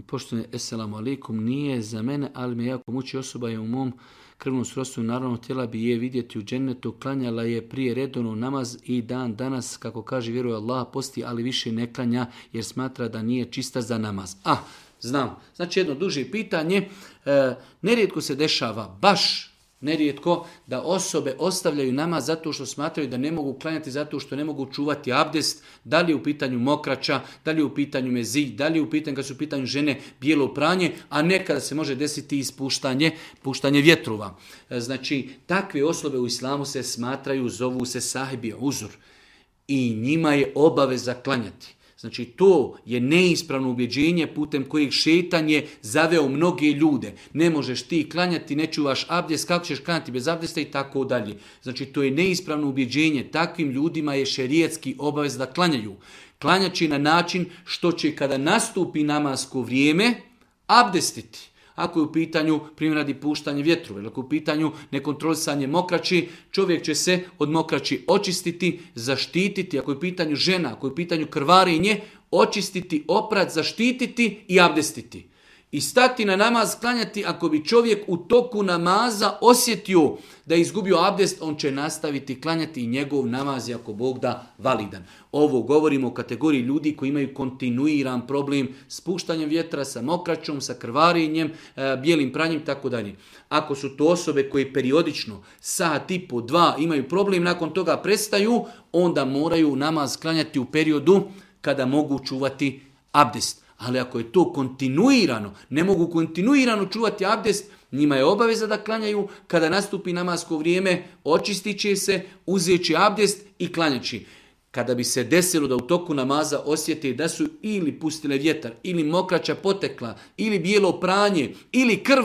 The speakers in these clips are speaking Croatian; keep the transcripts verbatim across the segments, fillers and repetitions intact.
Poštovani, eselamu alaikum, nije za mene, ali me jako muči, osoba je u mom krvnom srodstvu, naravno htjela bi je vidjeti u džennetu, klanjala je prije redovno namaz i dan danas, kako kaže, vjeruje Allah, posti, ali više ne klanja jer smatra da nije čista za namaz. Ah, znam. Znači jedno duže pitanje, e, nerijetko se dešava, baš nerijetko, da osobe ostavljaju namaz zato što smatraju da ne mogu klanjati, zato što ne mogu čuvati abdest, da li je u pitanju mokraća, da li je u pitanju mezi, da li je u pitanju, kad su u pitanju žene, bijelo pranje, a nekada se može desiti ispuštanje puštanje vjetrova. Znači, takve osobe u islamu se smatraju, zovu se sahibi uzur i njima je obaveza klanjati. Znači, to je neispravno ubjeđenje putem kojeg šeitan je zaveo mnoge ljude. Ne možeš ti klanjati, ne čuvaš abdest, kako ćeš klanjati bez abdesta i tako dalje. Znači, to je neispravno ubjeđenje. Takvim ljudima je šerijatski obavez da klanjaju. Klanjaći na način što će kada nastupi namasko vrijeme abdestiti. Ako je u pitanju, primjer radi, puštanje vjetrova, ili ako je u pitanju nekontrolisanje mokraći, čovjek će se od mokraći očistiti, zaštititi. Ako je u pitanju žena, ako je u pitanju krvarenje, očistiti, oprat, zaštititi i abdestiti. I stati na namaz, klanjati. Ako bi čovjek u toku namaza osjetio da je izgubio abdest, on će nastaviti klanjati i njegov namaz je, ako Bog da, validan. Ovo govorimo o kategoriji ljudi koji imaju kontinuiran problem s puštanjem vjetra, sa mokraćom, sa krvarenjem, bijelim pranjem, tako dalje. Ako su to osobe koje periodično, sat i po, dva, imaju problem, nakon toga prestaju, onda moraju namaz klanjati u periodu kada mogu čuvati abdest. Ali ako je to kontinuirano, ne mogu kontinuirano čuvati abdest, njima je obaveza da klanjaju. Kada nastupi namasko vrijeme, očistit će se, uzet će abdest i klanjaći. Kada bi se desilo da u toku namaza osjete da su ili pustile vjetar, ili mokraća potekla, ili bijelo pranje, ili krv,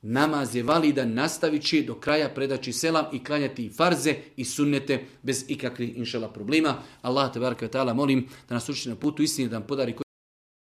namaz je validan, nastavit će do kraja, predaći selam i klanjati i farze i sunnete bez ikakvih inšala problema. Allah te baraka ve taala molim da nas uči na putu istine, da nam podari